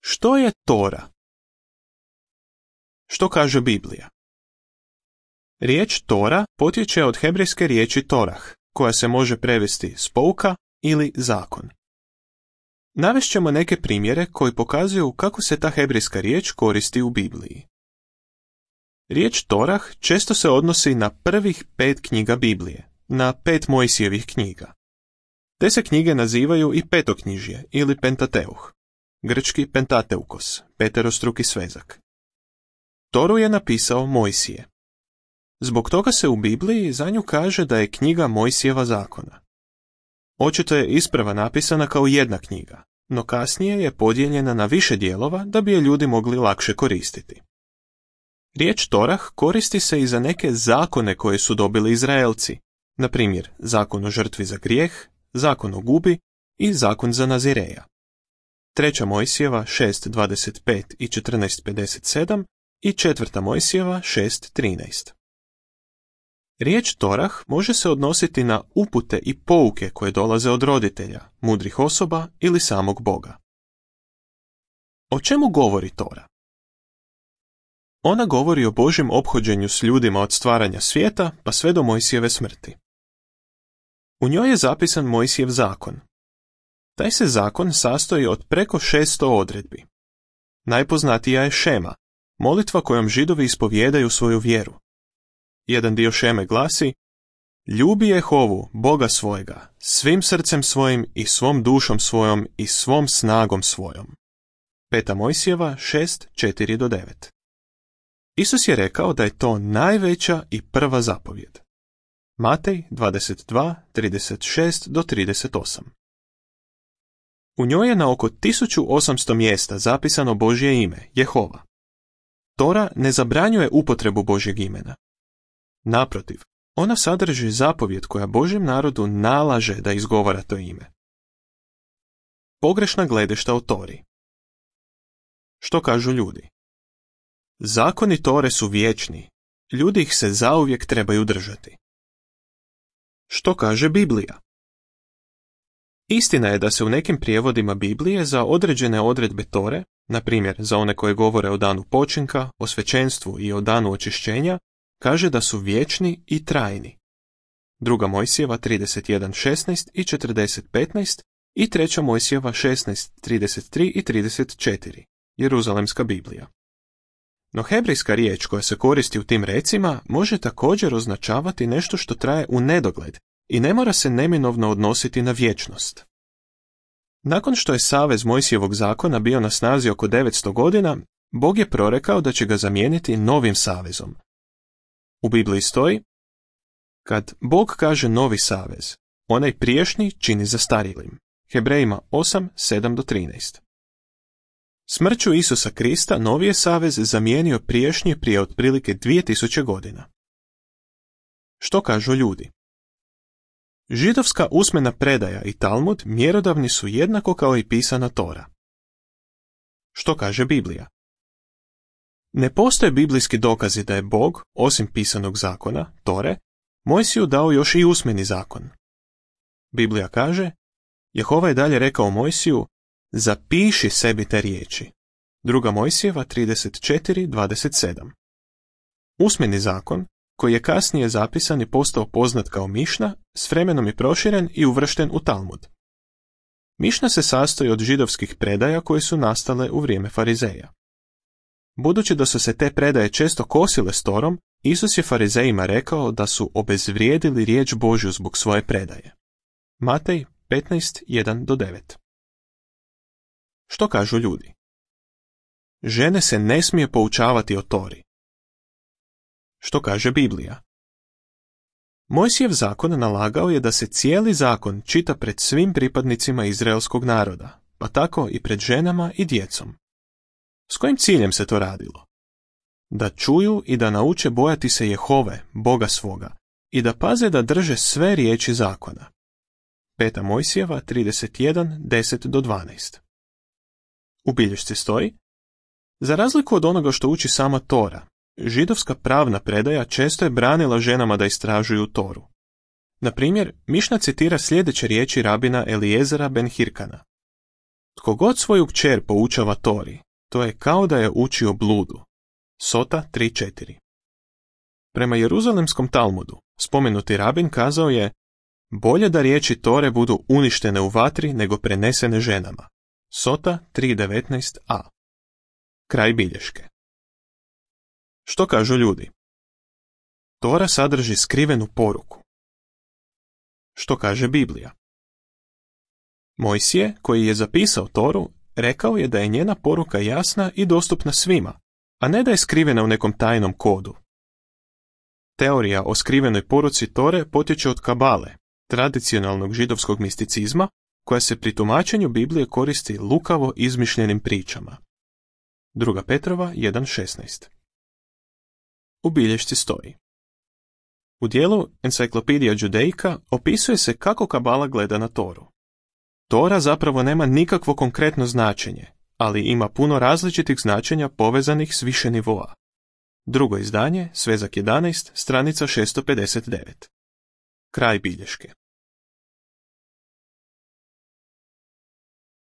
Što je Tora? Što kaže Biblija? Riječ Tora potječe od hebrejske riječi Torah, koja se može prevesti s pouka ili zakon. Navest ćemo neke primjere koji pokazuju kako se ta hebrejska riječ koristi u Bibliji. Riječ Torah često se odnosi na prvih 5 knjiga Biblije, na 5 Mojsijevih knjiga. Te se knjige nazivaju i petoknjižje ili Pentateuh, grčki Pentateukos, peterostruki svezak. Toru je napisao Mojsije. Zbog toga se u Bibliji za nju kaže da je knjiga Mojsijeva zakona. Očito je isprva napisana kao jedna knjiga, no kasnije je podijeljena na više dijelova da bi je ljudi mogli lakše koristiti. Riječ Torah koristi se i za neke zakone koje su dobili Izraelci, na primjer zakon o žrtvi za grijeh, zakon o gubi i zakon za Nazireja. 3. Mojsijeva 6.25 i 14.57 i 4. Mojsijeva 6.13. Riječ Torah može se odnositi na upute i pouke koje dolaze od roditelja, mudrih osoba ili samog Boga. O čemu govori Tora? Ona govori o Božjem ophođenju s ljudima od stvaranja svijeta pa sve do Mojsijeve smrti. U njoj je zapisan Mojsijev zakon. Taj se zakon sastoji od preko 600 odredbi. Najpoznatija je šema, molitva kojom Židovi ispovijedaju svoju vjeru. Jedan dio šeme glasi: Ljubi Jehovu, Boga svojega, svim srcem svojim i svom dušom svojom i svom snagom svojom. 5. Mojsijeva 6.4-9. Isus je rekao da je to najveća i prva zapovjed. Matej 22.36-38. U njoj je na oko 1800 mjesta zapisano Božje ime, Jehova. Tora ne zabranjuje upotrebu Božjeg imena. Naprotiv, ona sadrži zapovjed koja Božjem narodu nalaže da izgovara to ime. Pogrešna gledišta o Tori. Što kažu ljudi? Zakoni Tore su vječni, ljudi ih se zauvijek trebaju držati. Što kaže Biblija? Istina je da se u nekim prijevodima Biblije za određene odredbe Tore, na primjer za one koje govore o danu počinka, o svećenstvu i o danu očišćenja, kaže da su vječni i trajni. 2. Mojsijeva 31.16 i 40.15 i 3. Mojsijeva 16.33 i 34, Jeruzalemska Biblija. No hebrejska riječ koja se koristi u tim recima može također označavati nešto što traje u nedogled i ne mora se neminovno odnositi na vječnost. Nakon što je savez Mojsijevog zakona bio na snazi oko 900 godina, Bog je prorekao da će ga zamijeniti novim savezom. U Bibliji stoji: Kad Bog kaže novi savez, onaj priješnji čini zastarjelim. Hebrejima 8.7-13. Smrću Isusa Krista novi je savez zamijenio priješnji prije otprilike 2000 godina. Što kažu ljudi? Židovska usmena predaja i Talmud mjerodavni su jednako kao i pisana Tora. Što kaže Biblija? Ne postoje biblijski dokazi da je Bog, osim pisanog zakona, Tore, Mojsiju dao još i usmeni zakon. Biblija kaže: Jehova je dalje rekao Mojsiju: Zapiši sebi te riječi. 2. Mojsijeva 34.27. Usmeni zakon, koji je kasnije zapisan i postao poznat kao Mišna, s vremenom je proširen i uvršten u Talmud. Mišna se sastoji od židovskih predaja koje su nastale u vrijeme farizeja. Budući da su se te predaje često kosile s Torom, Isus je farizejima rekao da su obezvrijedili riječ Božju zbog svoje predaje. Matej 15.1-9. Što kažu ljudi? Žene se ne smije poučavati o Tori. Što kaže Biblija? Mojsijev zakon nalagao je da se cijeli zakon čita pred svim pripadnicima izraelskog naroda, pa tako i pred ženama i djecom. S kojim ciljem se to radilo? Da čuju i da nauče bojati se Jehove, Boga svoga, i da paze da drže sve riječi zakona. 5. Mojsijeva 31.10-12. U bilješci stoji: Za razliku od onoga što uči sama Tora, židovska pravna predaja često je branila ženama da istražuju Toru. Na primjer, Mišna citira sljedeće riječi rabina Elijezera ben Hirkana: Tko god svoju kćer poučava Tori, to je kao da je učio bludu. Sota 3.4. Prema Jeruzalemskom Talmudu, spomenuti rabin kazao je: bolje da riječi Tore budu uništene u vatri nego prenesene ženama. Sota 3.19a. Kraj bilješke. Što kažu ljudi? Tora sadrži skrivenu poruku. Što kaže Biblija? Mojsije, koji je zapisao Toru, rekao je da je njena poruka jasna i dostupna svima, a ne da je skrivena u nekom tajnom kodu. Teorija o skrivenoj poruci Tore potječe od Kabale, tradicionalnog židovskog misticizma, koja se pri tumačenju Biblije koristi lukavo izmišljenim pričama. 2. Petrova 1.16. U bilješci stoji: u dijelu Encyclopedia Judaica opisuje se kako Kabala gleda na Toru. Tora zapravo nema nikakvo konkretno značenje, ali ima puno različitih značenja povezanih s više nivoa. Drugo izdanje, svezak 11, stranica 659. Kraj bilješke.